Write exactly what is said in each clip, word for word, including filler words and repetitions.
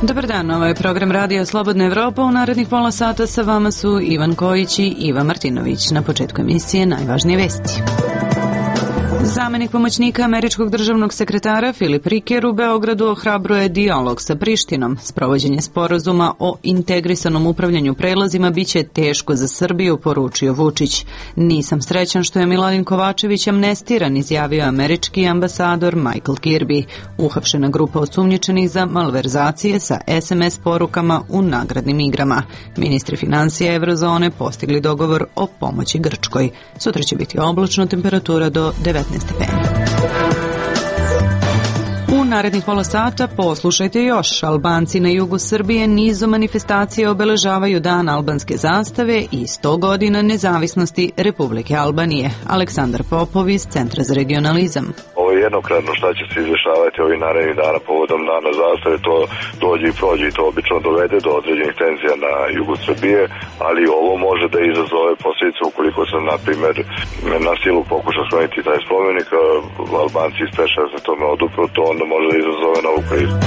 Dobar dan, ovo je program Radija Slobodna Evropa. U narednih pola sata sa vama su Ivan Kojić i Iva Martinović. Na početku emisije najvažnije vesti. Zamenik pomoćnika američkog državnog sekretara Filip Riker u Beogradu ohrabruje dijalog sa Prištinom. Sprovođenje sporazuma o integrisanom upravljanju prelazima biće teško za Srbiju, poručio Vučić. Nisam srećan što je Miladin Kovačević amnestiran, izjavio američki ambasador Michael Kirby. Uhapšena grupa osumnjičenih za malverzacije sa es em es porukama u nagradnim igrama. Ministri financija Evrozone postigli dogovor o pomoći Grčkoj. Sutra će biti oblačno, temperatura do devetnaest stepeni. U narednih pola sata poslušajte još. Albanci na jugu Srbije nizom manifestacije obeležavaju Dan albanske zastave i sto godina nezavisnosti Republike Albanije. Aleksandar Popov iz Centra za regionalizam. Ovo je jednokratno šta će se izvršavati ovih narednih dana povodom Dana zastave, to dođe i prođe i to obično dovede do određenih tenzija na jugu Srbije, ali ovo može da izazove posljedice ukoliko se, na primjer, na silu pokuša skloniti taj spomenik, Albanci ispeša se tome odupro, to onda može da izazove novu krizu.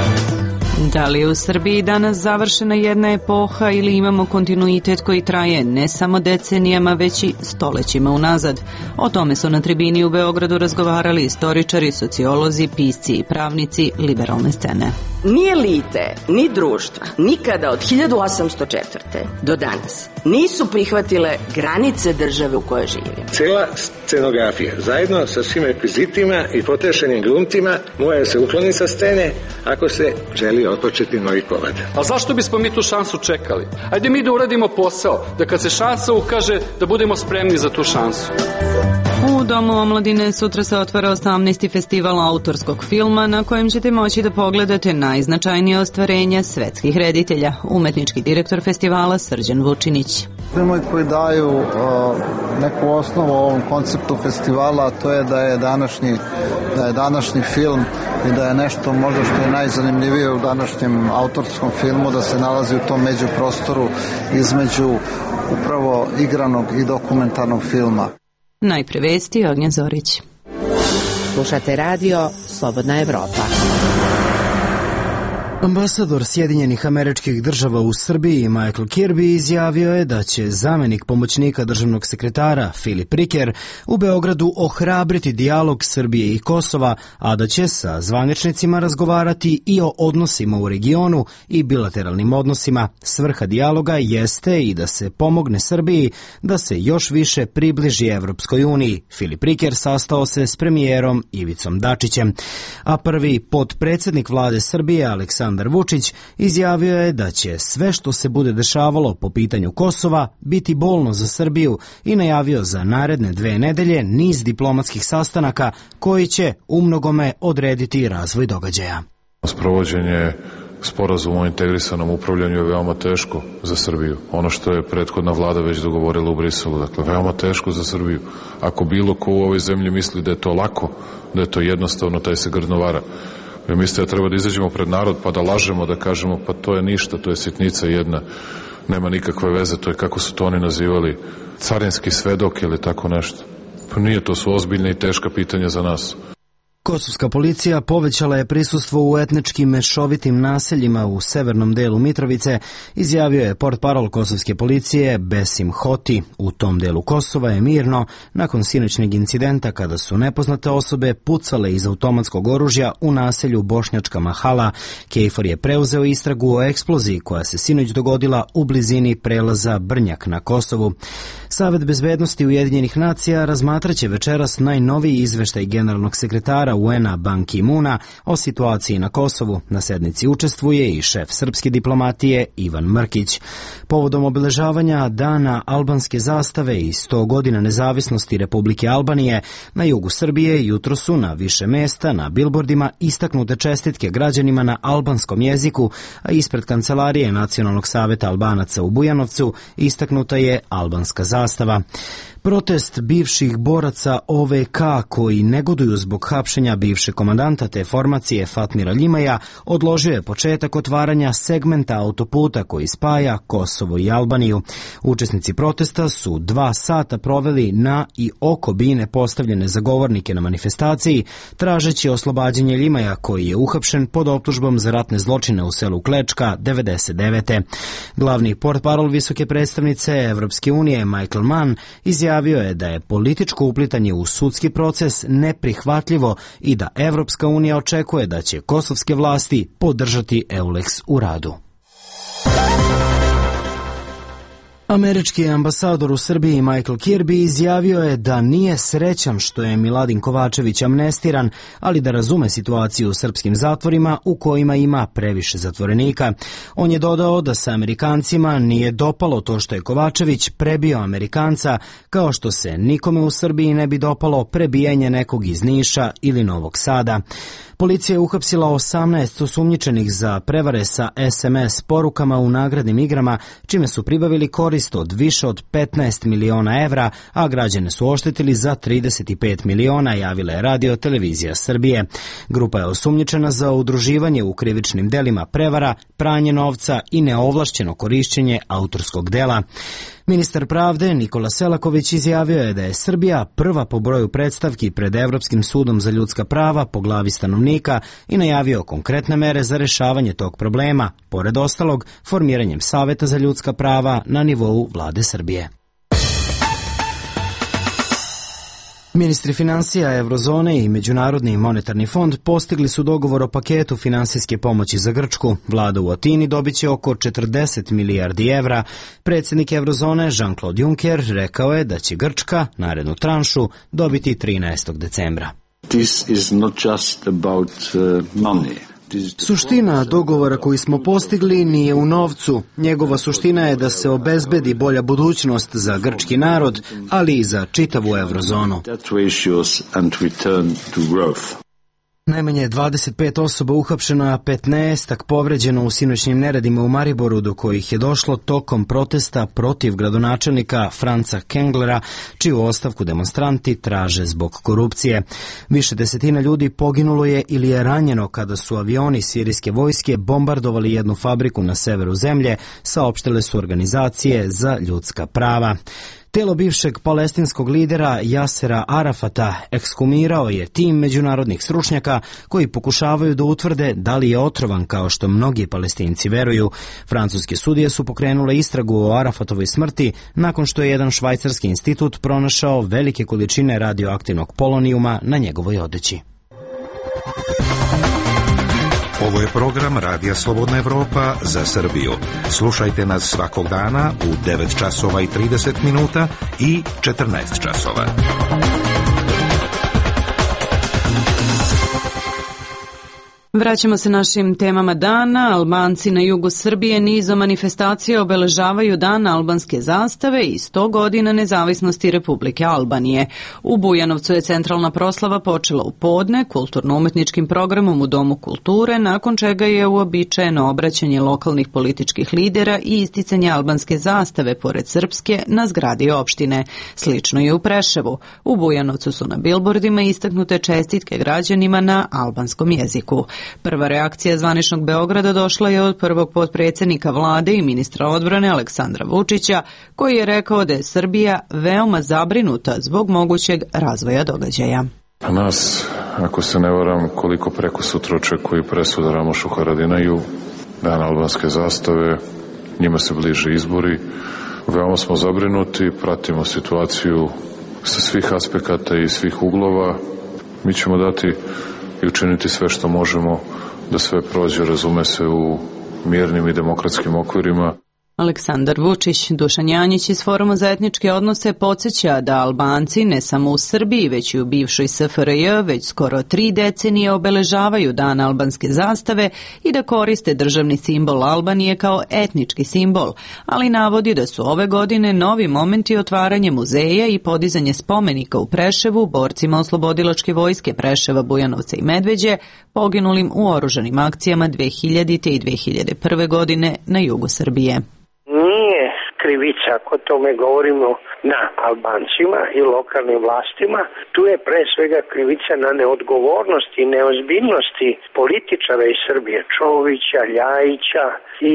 Da li je u Srbiji danas završena jedna epoha ili imamo kontinuitet koji traje ne samo decenijama, već i stolećima unazad? O tome su na tribini u Beogradu razgovarali istoričari, sociolozi, pisci i pravnici liberalne scene. Ni elite, ni društva nikada od hiljadu osamsto četvrte do danas nisu prihvatile granice države u kojoj živimo. Cela scenografija, zajedno sa svim rekvizitima i potrešenim glumcima, mora se ukloniti sa scene ako se želi otpočeti novi komad. A zašto bismo mi tu šansu čekali? Ajde mi da uradimo posao, da kad se šansa ukaže, da budemo spremni za tu šansu. U Domu omladine sutra se otvara osamnaesti festival autorskog filma na kojem ćete moći da pogledate najznačajnije ostvarenja svetskih reditelja. Umetnički direktor festivala Srđan Vučinić. Filmovi koji daju uh, neku osnovu ovom konceptu festivala, a to je da je današnji, da je današnji film i da je nešto možda što je najzanimljivije u današnjem autorskom filmu, da se nalazi u tom međuprostoru između upravo igranog i dokumentarnog filma. Najpre vesti, Ognjen Zorić. Slušate radio Slobodna Evropa. Ambasador Sjedinjenih Američkih Država u Srbiji Michael Kirby izjavio je da će zamenik pomoćnika državnog sekretara Filip Riker u Beogradu ohrabriti dijalog Srbije i Kosova, a da će sa zvaničnicima razgovarati i o odnosima u regionu i bilateralnim odnosima. Svrha dijaloga jeste i da se pomogne Srbiji da se još više približi Evropskoj uniji. Filip Riker sastao se s premijerom Ivicom Dačićem, a prvi potpredsednik vlade Srbije Aleksandar Aleksandar Vučić izjavio je da će sve što se bude dešavalo po pitanju Kosova biti bolno za Srbiju i najavio za naredne dve nedelje niz diplomatskih sastanaka koji će umnogome odrediti razvoj događaja. Sprovođenje sporazuma o integrisanom upravljanju je veoma teško za Srbiju. Ono što je prethodna vlada već dogovorila u Briselu, dakle, veoma teško za Srbiju. Ako bilo ko u ovoj zemlji misli da je to lako, da je to jednostavno, taj se grdno vara. Mi mislite da treba da izađemo pred narod pa da lažemo, da kažemo pa to je ništa, to je sitnica jedna, nema nikakve veze, to je kako su to oni nazivali, carinski svedok ili tako nešto. Pa nije, to su ozbiljne i teška pitanja za nas. Kosovska policija povećala je prisustvo u etničkim mešovitim naseljima u severnom delu Mitrovice, izjavio je portparol kosovske policije Besim Hoti. U tom delu Kosova je mirno nakon sinoćnjeg incidenta kada su nepoznate osobe pucale iz automatskog oružja u naselju Bošnjačka Mahala. Kejfor je preuzeo istragu o eksploziji koja se sinoć dogodila u blizini prelaza Brnjak na Kosovu. Savet bezbednosti Ujedinjenih nacija razmatraće večeras najnoviji izveštaj generalnog sekretara U N-a Ban Ki-muna o situaciji na Kosovu. Na sednici učestvuje i šef srpske diplomatije Ivan Mrkić. Povodom obeležavanja Dana albanske zastave i sto godina nezavisnosti Republike Albanije, na jugu Srbije jutro su na više mesta na bilbordima istaknute čestitke građanima na albanskom jeziku, a ispred kancelarije Nacionalnog saveta Albanaca u Bujanovcu istaknuta je albanska zastava. Protest bivših boraca O V K koji negoduju zbog hapšenja Šafenja, bivšeg komandanta te formacije Fatmira Ljimaja, odložio je početak otvaranja segmenta autoputa koji spaja Kosovo i Albaniju. Učesnici protesta su dva sata proveli na i oko bine postavljene za govornike na manifestaciji, tražeći oslobađanje Ljimaja koji je uhapšen pod optužbom za ratne zločine u selu Klečka devedeset devete. Glavni portparol visoke predstavnice Evropske unije Michael Mann izjavio je da je političko uplitanje u sudski proces neprihvatljivo i da Evropska unija očekuje da će kosovske vlasti podržati EULEX u radu. Američki ambasador u Srbiji Michael Kirby izjavio je da nije srećan što je Miladin Kovačević amnestiran, ali da razume situaciju u srpskim zatvorima u kojima ima previše zatvorenika. On je dodao da se Amerikancima nije dopalo to što je Kovačević prebio Amerikanca, kao što se nikome u Srbiji ne bi dopalo prebijanje nekog iz Niša ili Novog Sada. Policija je uhapsila osamnaest osumnjičenih za prevare sa es em es porukama u nagradnim igrama, čime su pribavili korist od više od petnaest miliona evra, a građane su oštetili za trideset pet miliona, javila je Radio Televizija Srbije. Grupa je osumnjičena za udruživanje u krivičnim delima prevara, pranje novca i neovlašćeno korišćenje autorskog dela. Ministar pravde Nikola Selaković izjavio je da je Srbija prva po broju predstavki pred Evropskim sudom za ljudska prava po glavi stanovnika i najavio konkretne mere za rešavanje tog problema, pored ostalog formiranjem Saveta za ljudska prava na nivou vlade Srbije. Ministri finansija Eurozone i Međunarodni monetarni fond postigli su dogovor o paketu finansijske pomoći za Grčku. Vlada u Atini dobit će oko četrdeset milijardi evra. Predsjednik Eurozone Jean-Claude Juncker rekao je da će Grčka narednu tranšu dobiti trinaestog decembra. This is not just about uh, money. Suština dogovora koji smo postigli nije u novcu. Njegova suština je da se obezbedi bolja budućnost za grčki narod, ali i za čitavu Eurozonu. Najmanje dvadeset pet osoba uhapšeno, a petnaestak povređeno u sinoćnim neredima u Mariboru, do kojih je došlo tokom protesta protiv gradonačelnika Franca Kenglera, čiju ostavku demonstranti traže zbog korupcije. Više desetina ljudi poginulo je ili je ranjeno kada su avioni sirijske vojske bombardovali jednu fabriku na severu zemlje, saopštile su organizacije za ljudska prava. Telo bivšeg palestinskog lidera Jasera Arafata ekshumirao je tim međunarodnih stručnjaka koji pokušavaju da utvrde da li je otrovan kao što mnogi Palestinci veruju. Francuske sudije su pokrenule istragu o Arafatovoj smrti nakon što je jedan švajcarski institut pronašao velike količine radioaktivnog polonijuma na njegovoj odeći. Ovo je program Radija Slobodna Evropa za Srbiju. Slušajte nas svakog dana u devet časova i trideset minuta i četrnaest časova. Vraćamo se našim temama dana. Albanci na jugu Srbije nizom manifestacija obeležavaju dan albanske zastave i sto godina nezavisnosti Republike Albanije. U Bujanovcu je centralna proslava počela u podne kulturno-umetničkim programom u Domu kulture, nakon čega je uobičajeno obraćanje lokalnih političkih lidera i isticanje albanske zastave pored srpske na zgradi opštine. Slično je u Preševu. U Bujanovcu su na bilbordima istaknute čestitke građanima na albanskom jeziku. Prva reakcija zvaničnog Beograda došla je od prvog potpredsjednika vlade i ministra odbrane Aleksandra Vučića, koji je rekao da je Srbija veoma zabrinuta zbog mogućeg razvoja događaja. A nas, ako se ne varam, koliko preko sutra očekuju presuda Ramošu Haradinaju, dan albanske zastave, njima se bliže izbori. Veoma smo zabrinuti, pratimo situaciju sa svih aspekata i svih uglova. Mi ćemo dati i učiniti sve što možemo da sve prođe, razume se, u mirnim i demokratskim okvirima. Aleksandar Vučić. Dušan Janjić iz Foruma za etničke odnose podsjeća da Albanci ne samo u Srbiji, već i u bivšoj S F R J već skoro tri decenije obeležavaju dan albanske zastave i da koriste državni simbol Albanije kao etnički simbol, ali navodi da su ove godine novi momenti otvaranje muzeja i podizanje spomenika u Preševu borcima oslobodilačke vojske Preševa, Bujanovca i Medveđe, poginulim u oružanim akcijama dve hiljadite. i dve hiljade prve. godine na jugu Srbije. Nije krivica, ako tome govorimo, na Albancima i lokalnim vlastima. Tu je pre svega krivica na neodgovornosti i neozbiljnosti političara iz Srbije, Čovića, Ljajića i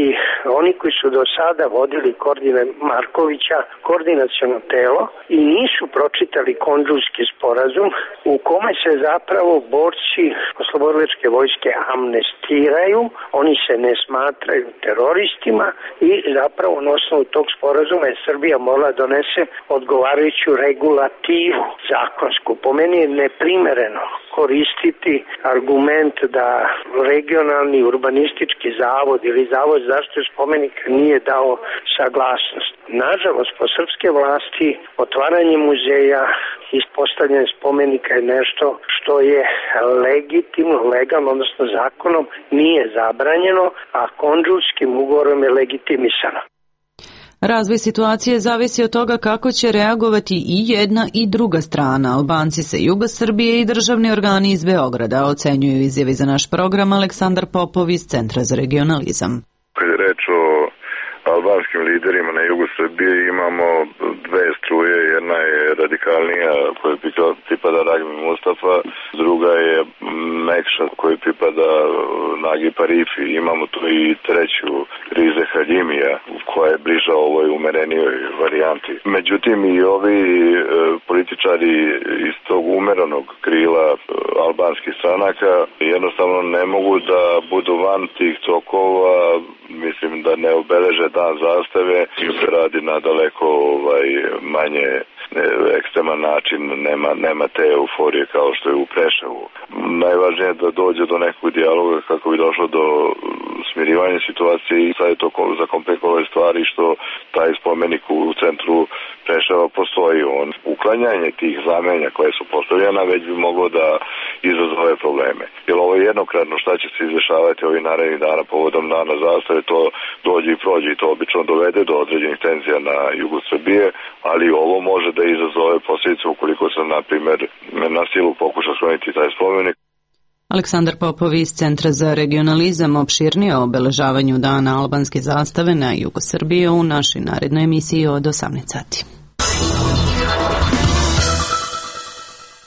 oni koji su do sada vodili koordine Markovića, koordinaciono telo, i nisu pročitali Kondžulski sporazum u kome se zapravo borci oslobodilačke vojske amnestiraju, oni se ne smatraju teroristima i zapravo na osnovu tog sporazuma je Srbija morala donese odgovarajuću regulativu zakonsku. Po meni je neprimereno koristiti argument da regionalni urbanistički zavod ili zavod za zaštitu spomenika nije dao saglasnost. Nažalost, po srpske vlasti otvaranje muzeja i postavljanje spomenika je nešto što je legitimno, legalno, odnosno zakonom nije zabranjeno, a Kondžulskim ugovorom je legitimisano. Razvoj situacije zavisi od toga kako će reagovati i jedna i druga strana. Albanci sa juga Srbije i državni organi iz Beograda, ocenjuju izjavi za naš program Aleksandar Popov iz Centra za regionalizam. Kad je reč o albanskim liderima na jugu Srbije, imamo dve struje. Jedna je radikalnija koja pripada Ragmi Mustafa, druga je Mekša koji pripada Nagi Parifi. Imamo tu i treću Rize Haljimija koja je bliža ovoj umerenijoj varijanti. Međutim, i ovi e, političari iz tog umeranog krila e, albanskih stranaka jednostavno ne mogu da budu van tih tokova, mislim da ne obeleže dan zastave, se radi na daleko ovaj, manje ekstreman način, nema, nema te euforije kao što je u Preševu. Najvažnije je da dođe do nekog dijaloga kako bi došlo do smirivanja situacije i sad je to zakomplikovale stvari što taj spomenik u centru Preševa postoji. On, uklanjanje tih znamenja koje su postavljena već bi moglo da izazove probleme. Jer ovo je jednokratno šta će se izdešavati ovih narednih dana povodom dana zastave, to dođe i prođe i to obično dovede do određenih tenzija na jugu Srbije, ali ovo može da izazove posljedice ukoliko se, na primjer, na silu pokuša skloniti taj spomenik. Aleksandar Popov iz Centra za regionalizam opširnije o obeležavanju dana albanske zastave na jugu Srbije u našoj narednoj emisiji od osamnaest sati.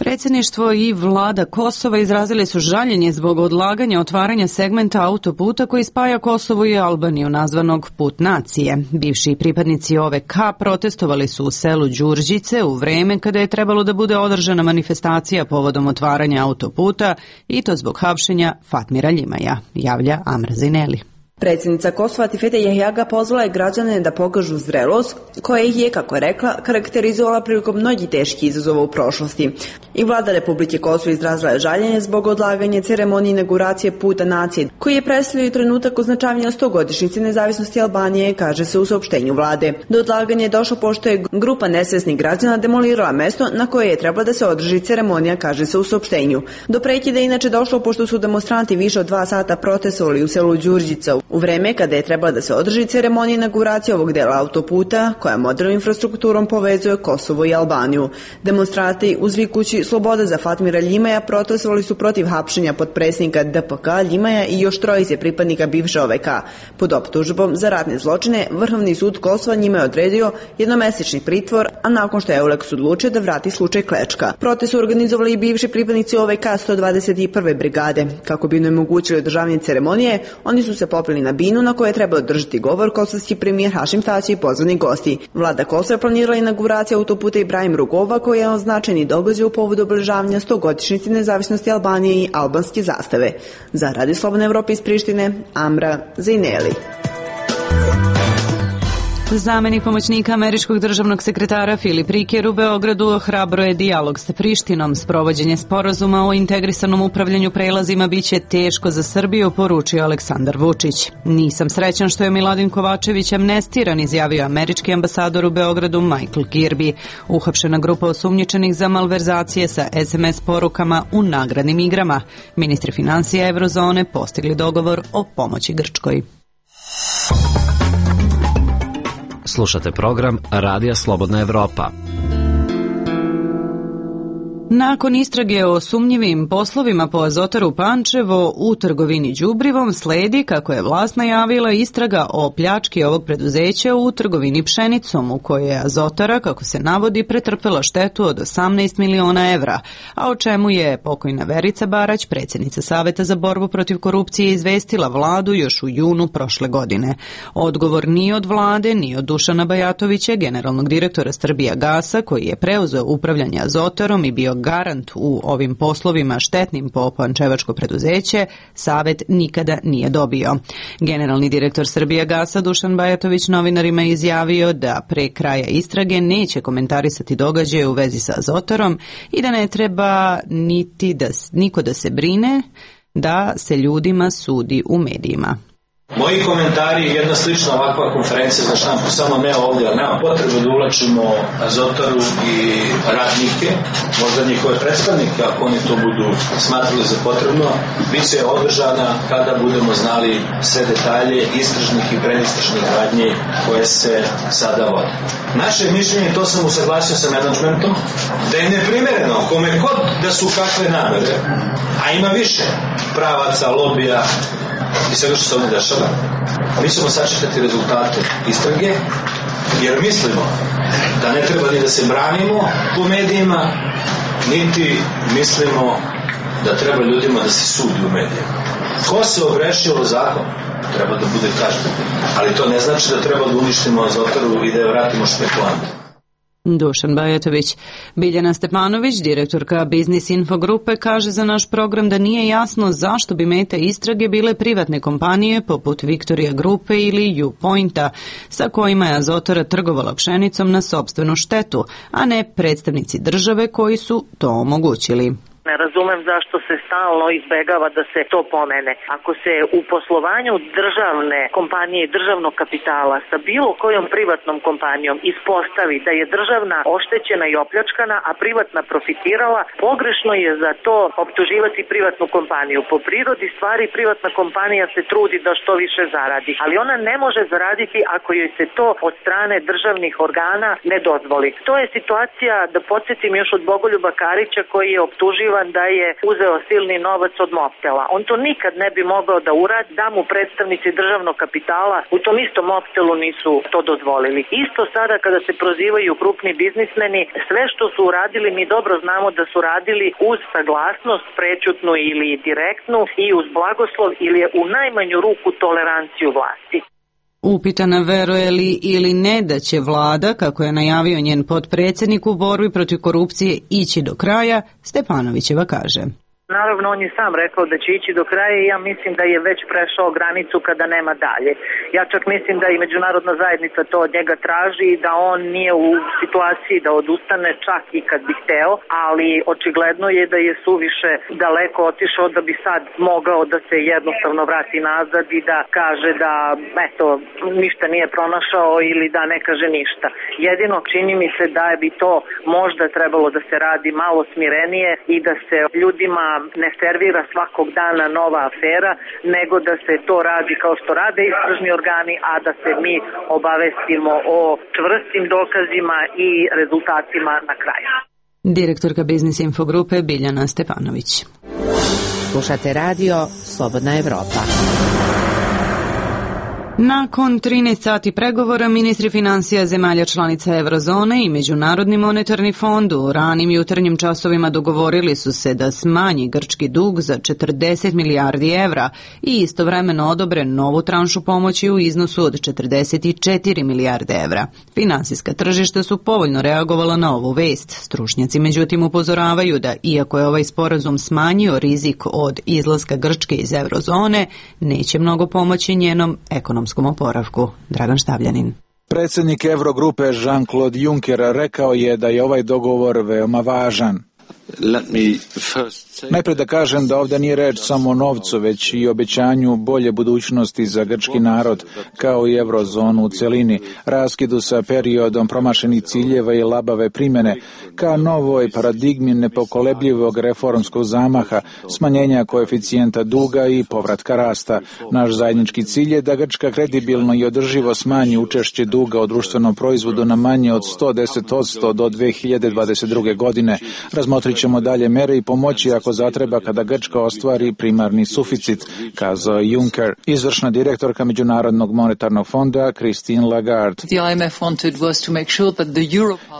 Predsjedništvo i vlada Kosova izrazili su žaljenje zbog odlaganja otvaranja segmenta autoputa koji spaja Kosovo i Albaniju, nazvanog Put nacije. Bivši pripadnici O V K protestovali su u selu Đurđice u vreme kada je trebalo da bude održana manifestacija povodom otvaranja autoputa i to zbog hapšenja Fatmira Ljimaja, javlja Amra Zineli. Predsjednica Kosova Tifete Jahjaga pozvala je građane da pokažu zrelost koja ih je, kako je rekla, karakterizovala prilikom mnogih teških izazova u prošlosti. I vlada Republike Kosovo izrazila je žaljenje zbog odlaganja ceremonije inauguracije Puta nacije, koji je predstavljao trenutak označavanja stogodišnjice nezavisnosti Albanije, kaže se u saopštenju vlade. Do odlaganja je došlo pošto je grupa nesvesnih građana demolirala mesto na koje je trebala da se održi ceremonija, kaže se u saopštenju. Do prekida je inače došlo pošto su demonstranti više od dva sata protestovali u selu Đurđica u vreme kada je trebala da se održi ceremonija inauguracije ovog dela autoputa koja modernom infrastrukturom povezuje Kosovo i Albaniju. Demonstranti uzvikući sloboda za Fatmira Ljimaja protestovali su protiv hapšenja potpredsjednika D P K Ljimaja i još trojice pripadnika bivše O V K. Pod optužbom za ratne zločine Vrhovni sud Kosova njima je odredio jednomesečni pritvor, a nakon što je Euleks odlučio da vrati slučaj Klečka. Protest su organizovali i bivši pripadnici O V K sto dvadeset prve brigade. Kako bi im omogućili održavanje ceremonije, oni su se popeli na binu na kojoj je trebao održati govor kosovski premijer Hašim Tači i pozvani gosti. Vlada Kosova je planirala inauguraciju autoputa Ibrahim Rugova koji je označeni događaj u povodu obeležavanja stogodišnjice nezavisnosti Albanije i albanske zastave. Za Radio Slobodne Evrope iz Prištine, Amra Zineli. Zamenik pomoćnika američkog državnog sekretara Filip Riker u Beogradu ohrabro je dijalog sa Prištinom. Sprovođenje sporazuma o integrisanom upravljanju prelazima biće teško za Srbiju, poručio Aleksandar Vučić. Nisam srećan što je Miladin Kovačević amnestiran, izjavio američki ambasador u Beogradu Michael Kirby. Uhapšena grupa osumnjičenih za malverzacije sa es em es porukama u nagradnim igrama. Ministri financija Evrozone postigli dogovor o pomoći Grčkoj. Slušate program Radija Slobodna Evropa. Nakon istrage o sumnjivim poslovima po Azotaru Pančevo u trgovini đubrivom sledi, kako je vlast najavila, istraga o pljački ovog preduzeća u trgovini pšenicom, u kojoj je Azotara, kako se navodi, pretrpela štetu od osamnaest miliona evra, a o čemu je pokojna Verica Barać, predsjednica Saveta za borbu protiv korupcije, izvestila vladu još u junu prošle godine. Odgovor ni od vlade, ni od Dušana Bajatovića, generalnog direktora Srbijagasa, koji je preuzeo upravljanje Azotarom i bio garant u ovim poslovima štetnim po pančevačko preduzeće, Savet nikada nije dobio. Generalni direktor Srbijagasa Dušan Bajatović novinarima je izjavio da pre kraja istrage neće komentarisati događaje u vezi sa Azotarom i da ne treba niti da niko da se brine da se ljudima sudi u medijima. Moji komentari je jedna slična ovakva konferencija za štampu, samo ne ovdje, ali nema potrebe da ulačimo Azotaru i radnike, možda njihove predstavnike, ako oni to budu smatrali za potrebno, bit će održana kada budemo znali sve detalje istražnih i predistražnih radnji koje se sada vode. Naše mišljenje, to sam usaglasio sa menadžmentom, da je neprimereno kome god da su kakve namere, a ima više pravaca, lobija i svega što se ovdje dešava. Mi ćemo sačekati rezultate istrage, jer mislimo da ne treba ni da se branimo po medijima, niti mislimo da treba ljudima da se sudi u medijima. Ko se ogrešio o zakon, treba da bude kažnjen. Ali to ne znači da treba da uništimo Azotaru i da je vratimo špekulante. Dušan Bajatović. Biljana Stepanović, direktorka Biznis Info grupe, kaže za naš program da nije jasno zašto bi meta istrage bile privatne kompanije poput Victoria grupe ili U-Pointa, sa kojima je Azotara trgovala pšenicom na sopstvenu štetu, a ne predstavnici države koji su to omogućili. Ne razumem zašto se stalno izbegava da se to pomene. Ako se u poslovanju državne kompanije i državnog kapitala sa bilo kojom privatnom kompanijom ispostavi da je državna oštećena i opljačkana, a privatna profitirala, pogrešno je za to optuživati privatnu kompaniju. Po prirodi stvari privatna kompanija se trudi da što više zaradi, ali ona ne može zaraditi ako joj se to od strane državnih organa ne dozvoli. To je situacija, da podsjetim, još od Bogoljuba Karića, koji je optuživan da je uzeo silni novac od Mobtela. On to nikad ne bi mogao da uradi, da mu predstavnici državnog kapitala u tom istom Mobtelu nisu to dozvolili. Isto sada kada se prozivaju krupni biznismeni, sve što su uradili mi dobro znamo da su radili uz saglasnost, prećutnu ili direktnu, i uz blagoslov ili u najmanju ruku toleranciju vlasti. Upitana veruje li ili ne da će vlada, kako je najavio njen potpredsjednik u borbi protiv korupcije, ići do kraja, Stepanovićeva kaže. Naravno, on je sam rekao da će ići do kraja i ja mislim da je već prešao granicu kada nema dalje. Ja čak mislim da i međunarodna zajednica to od njega traži i da on nije u situaciji da odustane čak i kad bi hteo, ali očigledno je da je suviše daleko otišao da bi sad mogao da se jednostavno vrati nazad i da kaže da eto, ništa nije pronašao ili da ne kaže ništa. Jedino čini mi se da bi to možda trebalo da se radi malo smirenije i da se ljudima ne servira svakog dana nova afera, nego da se to radi kao što rade istražni organi, a da se mi obavestimo o čvrstim dokazima i rezultatima na kraju. Direktorka Biznis Info grupe Biljana Stepanović. Slušate radio Slobodna Evropa. Nakon trinaest sati pregovora, ministri financija zemalja članica Eurozone i Međunarodni monetarni fond u ranim jutarnjim časovima dogovorili su se da smanji grčki dug za četrdeset milijardi evra i istovremeno odobre novu tranšu pomoći u iznosu od četrdeset četiri milijarde evra. Finansijska tržišta su povoljno reagovala na ovu vest. Stručnjaci međutim upozoravaju da iako je ovaj sporazum smanjio rizik od izlaska Grčke iz Eurozone, neće mnogo pomoći njenom ekonomskom oporavku. Dragan Štavljanin. Predsjednik Eurogrupe Jean-Claude Juncker rekao je da je ovaj dogovor veoma važan. Najprije da kažem da ovdje nije reč samo o novcu, već i obećanju bolje budućnosti za grčki narod, kao i eurozonu u celini, raskidu sa periodom promašenih ciljeva i labave primjene, ka novoj paradigmi nepokolebljivog reformskog zamaha, smanjenja koeficijenta duga i povratka rasta. Naš zajednički cilj je da Grčka kredibilno i održivo smanji učešće duga u društvenom proizvodu na manje od sto deset posto do dve hiljade dvadeset druge. godine. Razmotrit razmotrit ćemo dalje mere i pomoći ako zatreba kada Grčka ostvari primarni suficit, kazao Juncker. Izvršna direktorka Međunarodnog monetarnog fonda Christine Lagarde.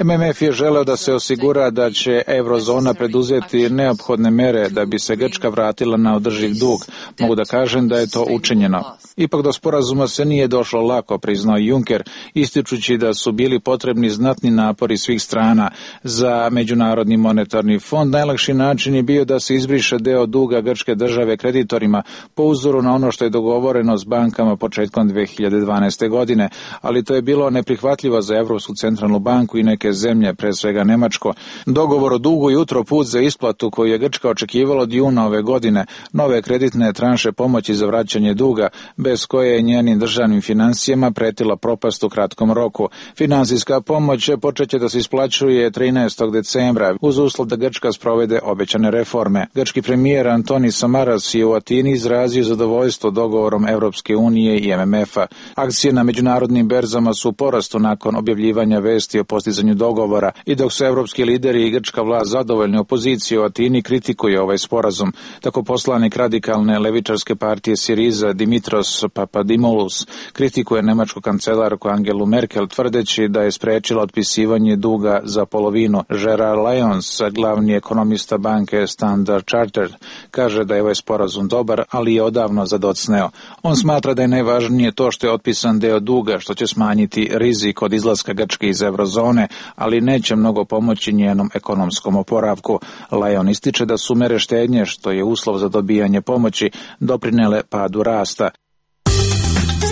M M F je želeo da se osigura da će eurozona preduzeti neophodne mere da bi se Grčka vratila na održiv dug. Mogu da kažem da je to učinjeno. Ipak do sporazuma se nije došlo lako, priznao Juncker, ističući da su bili potrebni znatni napori svih strana. Za Međunarodni monetarni fond najlakši način je bio da se izbriše deo duga grčke države kreditorima po uzoru na ono što je dogovoreno s bankama početkom dve hiljade dvanaeste. godine, ali to je bilo neprihvatljivo za Evropsku centralnu banku i neke zemlje, pre svega Nemačko. Dogovor o dugu jutro put za isplatu koju je Grčka očekivala od juna ove godine, nove kreditne tranše pomoći za vraćanje duga, bez koje je njenim državnim financijama pretila propast u kratkom roku. Finansijska pomoć počeće da se isplaćuje trinaestog decembra uz uslov da Grčka sprovede obećane reforme. Grčki premijer Antonis Samaras je u Atini izrazio zadovoljstvo dogovorom Evropske unije i M M F-a. Akcije na međunarodnim berzama su u porastu nakon objavljivanja vesti o postizanju dogovora i dok su evropski lideri i grčka vlast zadovoljni, opozicija u Atini kritikuje ovaj sporazum. Tako poslanik radikalne levičarske partije Siriza Dimitros Papadimoulos kritikuje nemačku kancelarku Angelu Merkel tvrdeći da je sprečila otpisivanje duga za polovinu. Gerard Lyons, glavni ekonomista banke Standard Chartered, kaže da je ovaj sporazum dobar, ali je odavno zadocneo. On smatra da je najvažnije to što je otpisan deo duga, što će smanjiti rizik od izlaska Grčke iz eurozone, ali neće mnogo pomoći njenom ekonomskom oporavku. Lyon ističe da su mere štednje, što je uslov za dobijanje pomoći, doprinele padu rasta.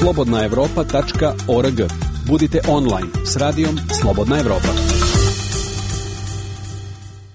slobodna evropa tačka org. Budite online s radijom Slobodna Evropa.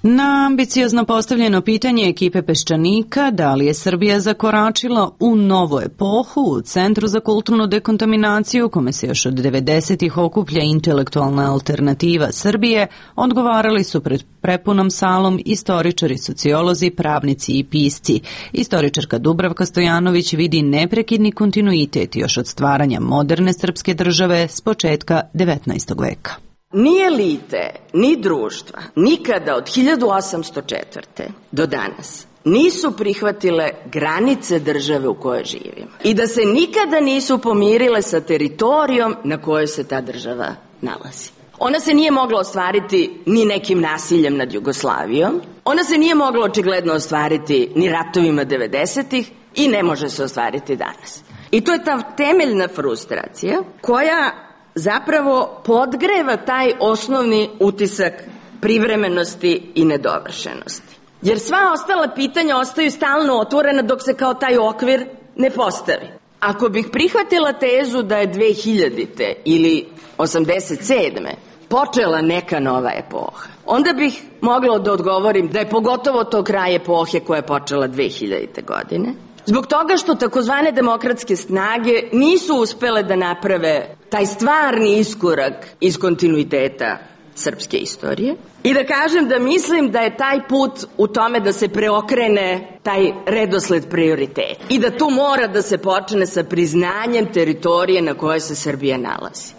Na ambiciozno postavljeno pitanje ekipe Peščanika da li je Srbija zakoračila u novu epohu u Centru za kulturnu dekontaminaciju, kome se još od devedesetih okuplja intelektualna alternativa Srbije, odgovarali su pred prepunom salom istoričari, sociolozi, pravnici i pisci. Istoričarka Dubravka Stojanović vidi neprekidni kontinuitet još od stvaranja moderne srpske države s početka devetnaestog veka. Ni elite, ni društva, nikada od hiljadu osamsto četvrte. do danas nisu prihvatile granice države u kojoj živimo i da se nikada nisu pomirile sa teritorijom na kojoj se ta država nalazi. Ona se nije mogla ostvariti ni nekim nasiljem nad Jugoslavijom, ona se nije mogla očigledno ostvariti ni ratovima devedesetih i ne može se ostvariti danas. I to je ta temeljna frustracija koja zapravo podgreva taj osnovni utisak privremenosti i nedovršenosti. Jer sva ostala pitanja ostaju stalno otvorena dok se kao taj okvir ne postavi. Ako bih prihvatila tezu da je dve hiljadite ili osamdeset sedme počela neka nova epoha, onda bih mogla da odgovorim da je pogotovo to kraj epohe koja je počela dve hiljadite. godine. Zbog toga što takozvane demokratske snage nisu uspele da naprave taj stvarni iskorak iz kontinuiteta srpske istorije i da kažem da mislim da je taj put u tome da se preokrene taj redosled prioriteta i da tu mora da se počne sa priznanjem teritorije na kojoj se Srbija nalazi.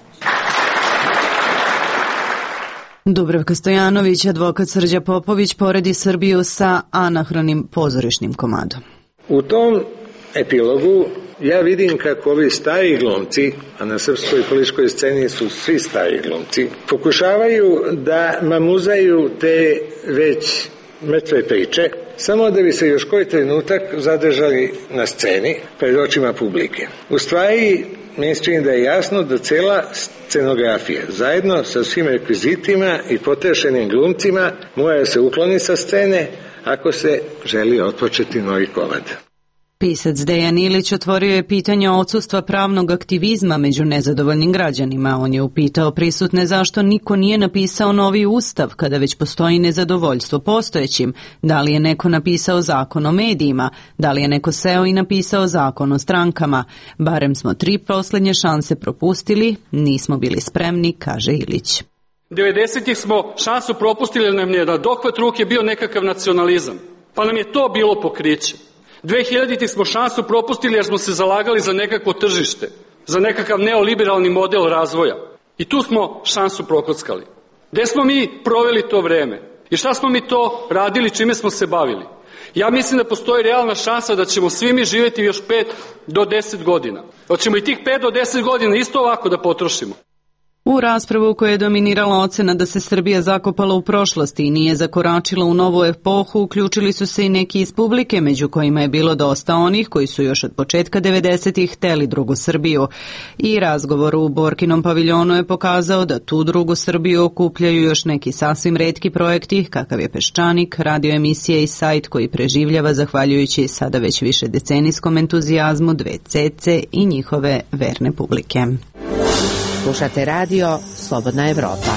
Dubravka Stojanović, advokat Srđa Popović, poredi Srbiju sa anahronim pozorišnim komadom. U tom epilogu ja vidim kako ovi stari glumci, a na srpskoj političkoj sceni su svi stari glumci, pokušavaju da mamuzaju te već mrtve priče, samo da bi se još koji trenutak zadržali na sceni pred očima publike. U stvari, meni se čini da je jasno da cela scenografija, zajedno sa svim rekvizitima i potrešenim glumcima, mora se ukloniti sa scene ako se želi otpočeti novi komad. Pisac Dejan Ilić otvorio je pitanje odsustva pravnog aktivizma među nezadovoljnim građanima. On je upitao prisutne zašto niko nije napisao novi ustav kada već postoji nezadovoljstvo postojećim. Da li je neko napisao zakon o medijima? Da li je neko seo i napisao zakon o strankama? Barem smo tri poslednje šanse propustili, nismo bili spremni, kaže Ilić. devedesetih smo šansu propustili jer nam je na dohvat ruke bio nekakav nacionalizam, pa nam je to bilo pokriće. dve hiljaditih smo šansu propustili jer smo se zalagali za nekakvo tržište, za nekakav neoliberalni model razvoja. I tu smo šansu prokockali. Gde smo mi proveli to vreme? I šta smo mi to radili, čime smo se bavili? Ja mislim da postoji realna šansa da ćemo svi mi živjeti još pet do deset godina. Hoćemo i tih pet do deset godina isto ovako da potrošimo. U raspravu u kojoj je dominirala ocena da se Srbija zakopala u prošlosti i nije zakoračila u novu epohu, uključili su se i neki iz publike, među kojima je bilo dosta onih koji su još od početka devedesetih hteli drugu Srbiju. I razgovor u Borkinom paviljonu je pokazao da tu drugu Srbiju okupljaju još neki sasvim retki projekti, kakav je Peščanik, radio emisije i sajt koji preživljava zahvaljujući sada već više decenijskom entuzijazmu dve cece i njihove verne publike. Slušate radio Slobodna Evropa.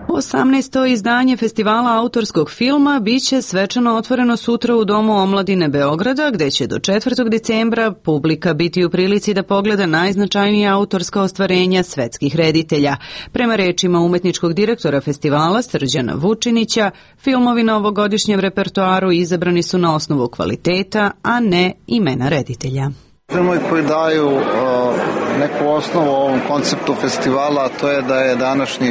osamnaesto izdanje festivala autorskog filma biće svečano otvoreno sutra u Domu omladine Beograda, gde će do četvrtog decembra publika biti u prilici da pogleda najznačajnija autorska ostvarenja svetskih reditelja. Prema rečima umetničkog direktora festivala Srđana Vučinića, filmovi na ovogodišnjem repertoaru izabrani su na osnovu kvaliteta, a ne imena reditelja. Filmovi koji daju uh, neku osnovu ovom konceptu festivala, a to je da je današnji,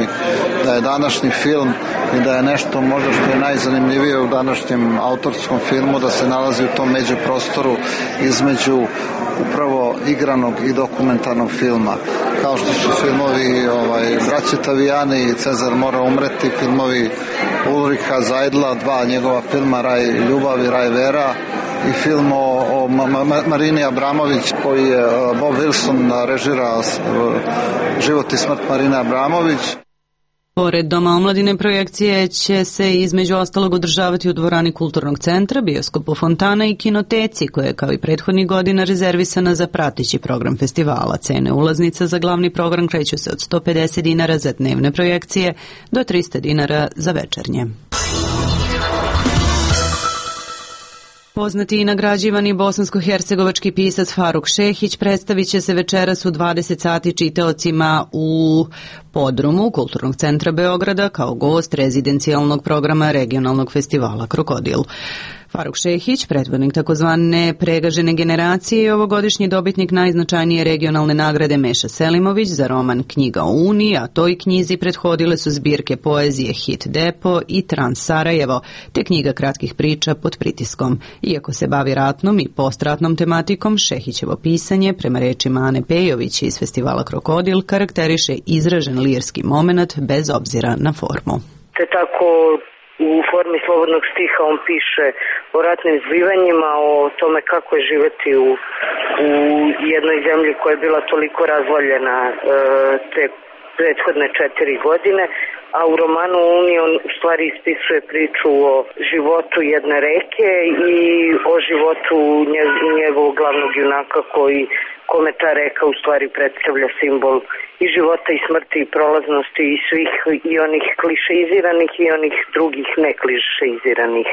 da je današnji film i da je nešto možda što je najzanimljivije u današnjem autorskom filmu, da se nalazi u tom međuprostoru između upravo igranog i dokumentarnog filma. Kao što su filmovi ovaj, Braće Tavijani i Cezar mora umreti, filmovi Ulriha Zajdla, dva njegova filma Raj ljubav i Raj vera, i film o, o Marini Abramović koji je Bob Wilson režirao Život i smrt Marine Abramović. Pored Doma omladine projekcije će se između ostalog održavati u dvorani Kulturnog centra, bioskopu Fontana i kinoteci, koja je kao i prethodnih godina rezervisana za prateći program festivala. Cene ulaznica za glavni program kreću se od sto pedeset dinara za dnevne projekcije do trista dinara za večernje. Poznati i nagrađivani bosansko-hercegovački pisac Faruk Šehić predstavit će se večeras u dvadeset sati čitaocima u podrumu Kulturnog centra Beograda kao gost rezidencijalnog programa regionalnog festivala Krokodil. Faruk Šehić, predvodnik takozvane pregažene generacije i ovogodišnji dobitnik najznačajnije regionalne nagrade Meša Selimović za roman Knjiga o Uniji, a toj knjizi prethodile su zbirke poezije Hit Depo i Trans Sarajevo, te knjiga kratkih priča Pod pritiskom. Iako se bavi ratnom i postratnom tematikom, Šehićevo pisanje, prema rečima Ane Pejović iz festivala Krokodil, karakteriše izražen lirski moment bez obzira na formu. Te tako u formi slobodnog stiha on piše o ratnim zbivanjima, o tome kako je živeti u, u jednoj zemlji koja je bila toliko razvaljena e, te prethodne četiri godine, a u romanu Uniji on u stvari ispisuje priču o životu jedne reke i o životu njegovog glavnog junaka koji kome ta reka u stvari predstavlja simbol i života i smrti i prolaznosti i svih i onih klišeiziranih i onih drugih neklišeiziranih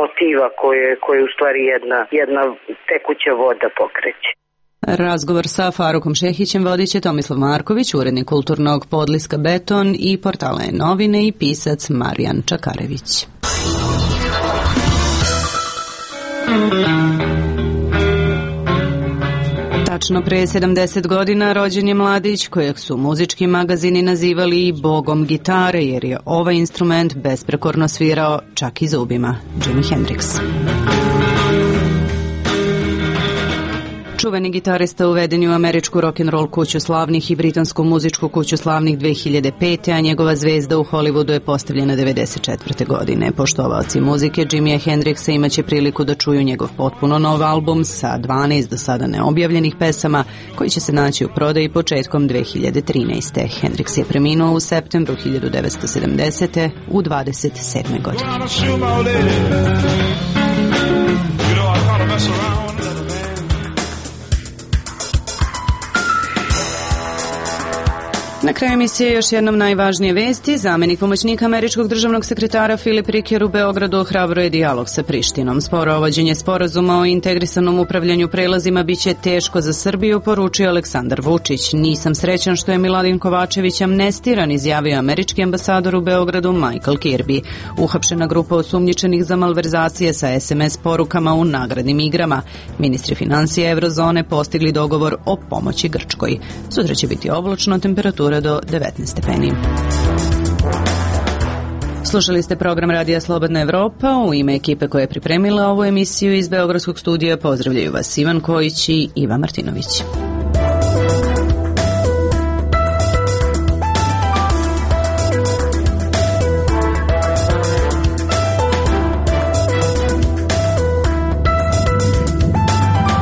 motiva koje, koje u stvari jedna, jedna tekuća voda pokreće. Razgovor sa Farukom Šehićem vodit će Tomislav Marković, urednik kulturnog podliska Beton i portala E-novine i pisac Marijan Čakarević. Tačno pre sedamdeset godina rođen je mladić kojeg su muzički magazini nazivali i bogom gitare, jer je ovaj instrument besprekorno svirao čak i zubima. Jimi Hendrix. Čuveni gitarista uveden je u američku rock'n'roll kuću slavnih i britansku muzičku kuću slavnih dve hiljade pete. a njegova zvezda u Hollywoodu je postavljena devedeset četvrte. godine. Poštovaoci muzike Jimija Hendrixa imaće priliku da čuju njegov potpuno nov album sa dvanaest do sada neobjavljenih pesama koji će se naći u prodaji početkom dve hiljade trinaeste. Hendrix je preminuo u septembru hiljadu devetsto sedamdesete. u dvadeset sedme. godine. Na kraju emisije još jednom najvažnije vesti. Zamenik pomoćnika američkog državnog sekretara Filip Riker u Beogradu ohrabruje dijalog sa Prištinom. Sporovođenje sporazuma o integrisanom upravljanju prelazima biće teško za Srbiju, poručio Aleksandar Vučić. Nisam srećan što je Miladin Kovačević amnestiran, izjavio američki ambasador u Beogradu Michael Kirby. Uhapšena grupa osumnjičenih za malverzacije sa es em es porukama u nagradnim igrama. Ministri financija Evrozone postigli dogovor o pomoći Grčkoj. Sutra će biti oblačno, temperatura do devetnaest stepeni. Slušali ste program Radija Slobodna Evropa. U ime ekipe koja je pripremila ovu emisiju iz Beogradskog studija pozdravljaju vas Ivan Kojić i Iva Martinović.